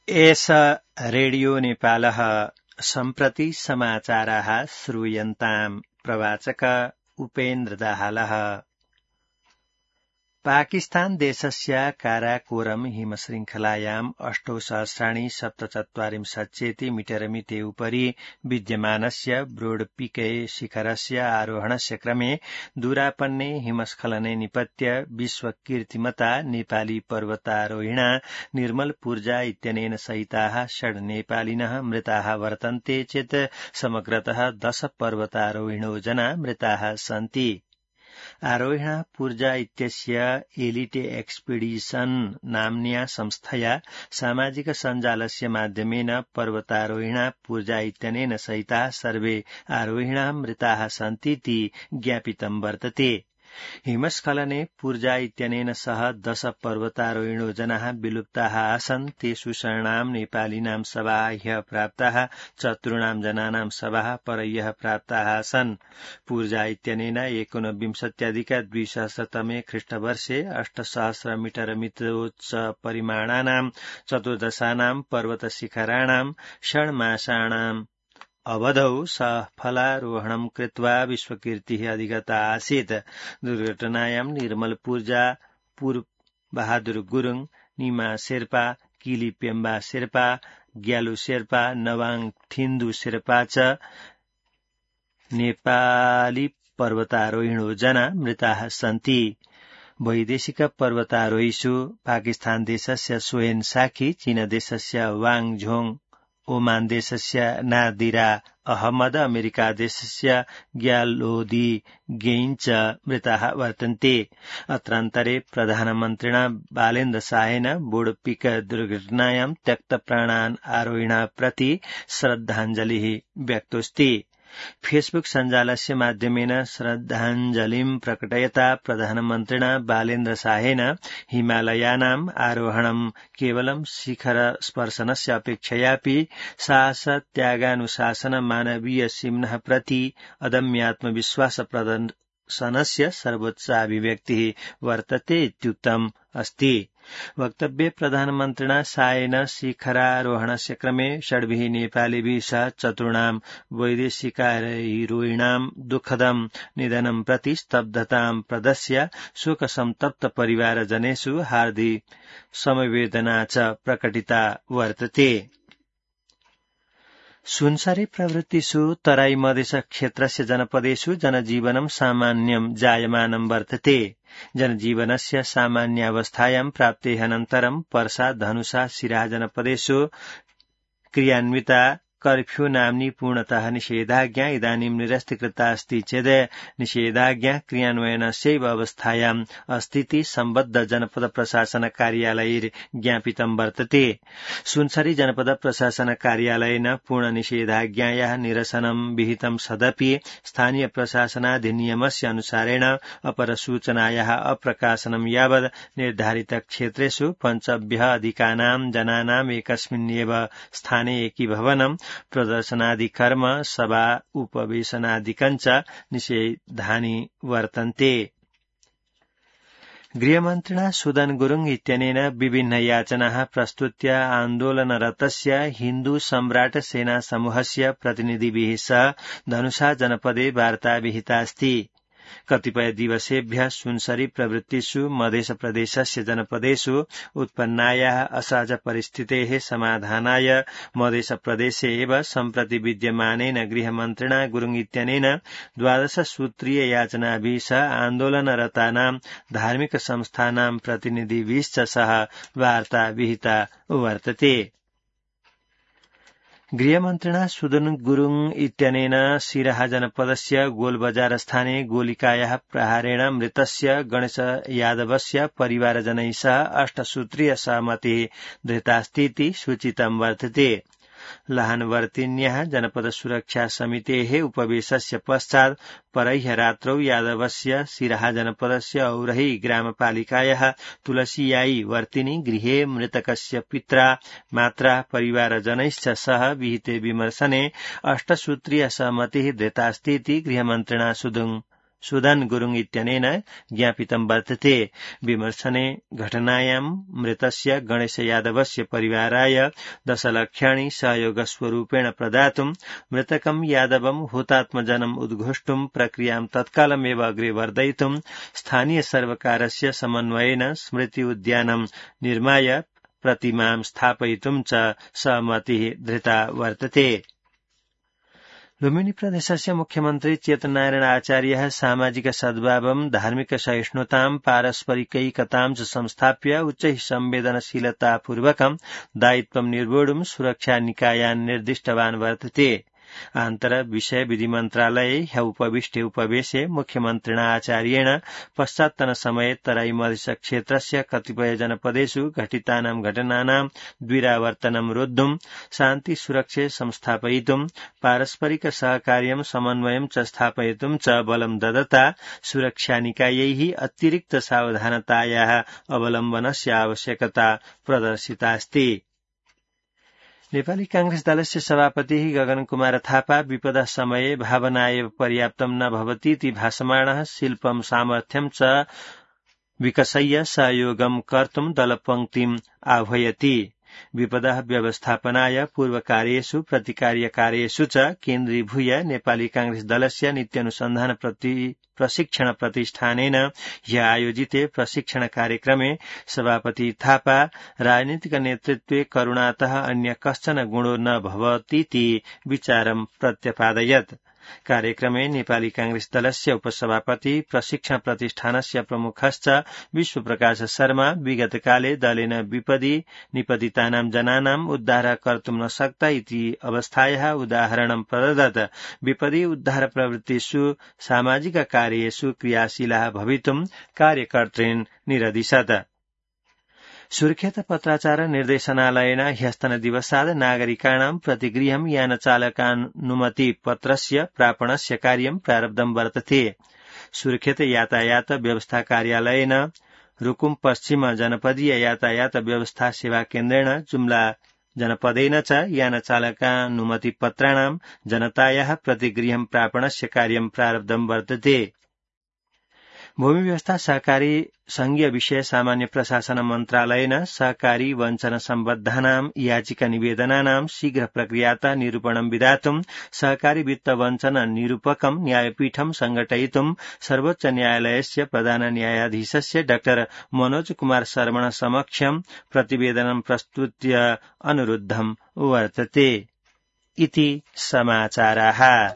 एष रेडियो नेपालः सम्प्रति समाचाराः श्रूयन्ताम् प्रवाचक उपेन्द्र दाहालः। पाकिस्तान देशस्य काराकोरम हिमशृङ्खलायाम् 8,सहस्राणि 77 उपरि विद्यमानस्य ब्रोडपिके शिखरस्य आरोहणस्य क्रमे दूरापन्ने हिमस्खलने निपत्य विश्वकीर्तिमता नेपाली पर्वतारोहिणा निर्मल पूर्जा इत्यनेन सहिताः 6 नेपालिनः मृताः वर्तन्ते चेत् समग्रतः 10 पर्वतारोहिणो जना मृताः सन्ति। आरोहिणा पूर्जा इत्यस्य एलिटे एक्सपीडिशन नाम्न्या संस्थया सामाजिक सञ्जालस्य माध्यमेन पर्वतारोहिणा पूर्जा इत्यनेन सहिताः सर्वे आरोहिणा मृताः सन्तीति ज्ञापितं वर्तते। हिमस्खलने पूर्जा इत्यनेन सह 10 पर्वतारोहिणो जनाः विलुप्ताः आसन्। तेषु शरणां नेपालिनां शवाः ह्यः प्राप्ताः, चतुर्णां जनानां शवाः परह्यः प्राप्ताः आसन्। पूर्जा इत्यनेन 19,200 ख्रीष्टवर्षे 8,000 मीटर मितोच्च परिमाणानां 14 पर्वतशिखराणां षण्मासानाम् अवधौ सफलारोहणं कृत्वा विश्वकीर्तिः अधिगता आसीत्। दुर्घटनायां निर्मल पूर्जा, पूर्व बहादुर गुरुङ, निमा शेर्पा, किली पेम्बा शेर्पा, ग्यालु शेर्पा, नवाङ थिन्दु शेर्पा च नेपाली पर्वतारोहिणो जना मृताः सन्ति। वैदेशिक पर्वतारोहिषु पाकिस्तान देशस्य सोहेन साखी, चीन देशस्य वाङ झोङ, ओमान देशस्य नादिरा अहमद, अमेरिका देशस्य ग्यालोदी गेइन च मृताः वर्तन्ते। अत्रान्तरे प्रधानमन्त्रिणा बालेन्द्र शाहेन बोडपिक दुर्घटनायां त्यक्तप्राणान् आरोहिणाः प्रति श्रद्धाञ्जलिः व्यक्तोऽस्ति। फेसबुक सञ्जालस्य माध्यमेन श्रद्धाञ्जलिं प्रकटयता प्रधानमन्त्रिणा बालेन्द्र शाहेन हिमालयानाम् आरोहणं केवलं शिखर स्पर्शनस्य अपेक्षयापि साहस, त्यागानुशासन, मानवीय सीम्नः प्रति अदम्यात्मविश्वास प्रदर्शनस्य सर्वोच्च अभिव्यक्तिः वर्तते इत्युक्तम् अस्ति। वक्तव्ये प्रधानमन्त्रिणा शाहेन शिखरारोहणस्य क्रमे 6 नेपालीभिः सह चतुर्णां वैदेशिकारोहिणां दुःखदं निधनं प्रति स्तब्धतां प्रदर्श्य शोकसन्तप्त परिवारजनेषु हार्दिक समवेदना च प्रकटिता वर्तते। सुनसरी प्रवृत्तिषु तराई मधेश क्षेत्रस्य जनपदेषु जनजीवनं सामान्यं जायमानं वर्तते। जनजीवनस्य सामान्यावस्थायां प्राप्तेः पर्सा, धनुषा, सिराहा जनपदेषु क्रियान्विता कर्फ्यू नाम्नी पूर्णतः निषेधाज्ञा इदानीं निरस्तीकृता अस्ति चेत् निषेधाज्ञा क्रियान्वयनस्यैव अवस्थायाम् अस्तीति सम्बद्ध जनपद प्रशासन कार्यालये ज्ञापितं वर्तते। सुनसरी जनपद प्रशासन कार्यालयेन पूर्ण निषेधाज्ञायाः निरसनं विहितं सदपि स्थानीय प्रशासनाधिनियमस्य अनुसारेण अपरसूचनायाः अप्रकाशनं यावत् निर्धारित क्षेत्रेषु 5 अधिकानां जनानाम् एकस्मिन्नेव स्थाने एकीभवनं, प्रदर्शनादिकर्म, सभा उपवेशनादिकञ्च निषेधानि वर्तन्ते। गृहमन्त्रिणा सुदन गुरुङ इत्यनेन विभिन्न याचनाः प्रस्तुत्य आन्दोलनरतस्य हिन्दू सम्राट सेना समूहस्य प्रतिनिधिभिः सह धनुषा जनपदे वार्ता विहिता अस्ति। कतिपय दिवसेभ्यः सुनसरी प्रवृत्तिषु मध्य प्रदेशस्य जनपदेषु उत्पन्नायाः असहज परिस्थितेः समाधानाय मध्य प्रदेशे एव सम्प्रति विद्यमानेन गृहमन्त्रिणा गुरुङ इत्यनेन 12 सूत्रीय याचनाभिः सह आन्दोलनरतानां धार्मिक संस्थानां प्रतिनिधिभिश्च सह वार्ता विहिता वर्तते। गृहमन्त्रिणा सुदन गुरुङ इत्यनेन सिराहा जनपदस्य गोलबजार स्थाने गोलिकायाः प्रहारेण मृतस्य गणेश यादवस्य परिवारजनैः सह 8 सूत्रीय सहमतिः धृतास्तीति सूचितं वर्तते। लहानवर्तिन्याः जनपद सुरक्षा समितेः उपवेशस्य पश्चात् परह्य रात्रौ यादवस्य सिराहा जनपदस्य औरही ग्रामपालिकायाः तुलसीयाई वर्तिनी गृहे मृतकस्य पित्रा, मात्रा, परिवारजनैश्च सह विहिते विमर्शने 8 सूत्रीय सहमतिः धृतास्तीति गृहमन्त्रिणा सुदन गुरुङ इत्यनेन ज्ञापितं वर्तते। विमर्शने घटनायां मृतस्य गणेश यादवस्य परिवाराय 10 लक्षाणि सहयोगस्वरूपेण प्रदातुं मृतकं यादवं हुतात्मजनम् उद्घोष्टुं प्रक्रियां तत्कालमेव अग्रे वर्धयितुं स्थानीय सर्वकारस्य समन्वयेन स्मृति उद्यानं निर्माय प्रतिमां स्थापयितुं च सहमतिः धृता वर्तते। लुम्बिनी प्रदेशस्य मुख्यमन्त्री चेतनारायण आचार्यः सामाजिक सद्भावं धार्मिक सहिष्णुतां पारस्परिकैकतां च संस्थाप्य उच्चैः संवेदनशीलतापूर्वकं दायित्वं निर्वोढुं सुरक्षा निकायान् निर्दिष्टवान् वर्तते। आन्तर विषय विधि मन्त्रालये ह्य उपविष्टे उपवेशे मुख्यमन्त्रिणा आचार्येण पश्चात्तन समये तराई मधेश क्षेत्रस्य कतिपय जनपदेषु घटितानां घटनानां द्विरावर्तनं रोद्धुं शान्ति सुरक्षे संस्थापयितुं पारस्परिक सहकार्यं समन्वयं च स्थापयितुं च बलं ददता सुरक्षानिकायैः अतिरिक्त सावधानतायाः अवलम्बनस्य आवश्यकता प्रदर्शितास्ति। नेपाली कांग्रेस दलस्य सभापति गगन कुमार थापा विपदा समये भावना एव पर्याप्तं न भवतीति भासमाणः शिल्पं सामर्थ्यं च विकसय्य सहयोगं कर्तुं दलपङ्क्तिम् आह्वयति। विपदा व्यवस्थापनाय पूर्वकार्येषु प्रतिकार्यकार्येषु च केन्द्रीभूय नेपाली कांग्रेस दलस्य नित्यानुसन्धान प्रशिक्षण प्रतिष्ठानेन ह्य आयोजिते प्रशिक्षण कार्यक्रमे सभापति थापा राजनीतिक नेतृत्वे करुणातः अन्य कश्चन गुणो न भवतीति विचारं प्रत्यपादयत्। कार्यक्रमे नेपाली कांग्रेस दलस्य उपसभापति प्रशिक्षण प्रतिष्ठानस्य प्रमुखश्च विश्वप्रकाश शर्मा विगतकाले दलेन विपदि निपतितानां जनानां उद्धार कर्तुं न शक्ता इति अवस्थायाः उदाहरणं प्रददत्। विपदि उद्धार प्रवृत्तिषु सामाजिक कार्येषु क्रियाशीलाः भवितुं कार्यकर्तॄन् निरदिशत्। सुर्खेत पत्राचार निर्देशनालयेन ह्यस्तनदिवसाद् नागरिकाणां प्रतिगृहं यानचालकानुमति पत्रस्य प्रापणस्य कार्यं प्रारब्धं वर्तते। सुर्खेत यातायात व्यवस्था कार्यालयेन रुकुम पश्चिम जनपदीय यातायात व्यवस्था सेवा केन्द्रेण जुम्ला जनपदेन च यानचालकानुमति पत्राणां जनतायाः प्रतिगृहं प्रापणस्य कार्यं प्रारब्धं वर्तते। भूमि व्यवस्था सहकारी संघीय विषय सामान्य प्रशासन मन्त्रालयेन सहकारी वञ्चन सम्बद्धानां याचिका निवेदनानां शीघ्र प्रक्रियातः निरूपणं विधातुं सहकारी वित्त वञ्चन निरूपकं न्यायपीठं संघटयितुं सर्वोच्च न्यायालयस्य प्रधान न्यायाधीशस्य डॉ मनोज कुमार शर्मण समक्षं प्रतिवेदनं प्रस्तुत्य अनुरुद्धं वर्तते। इति समाचाराः।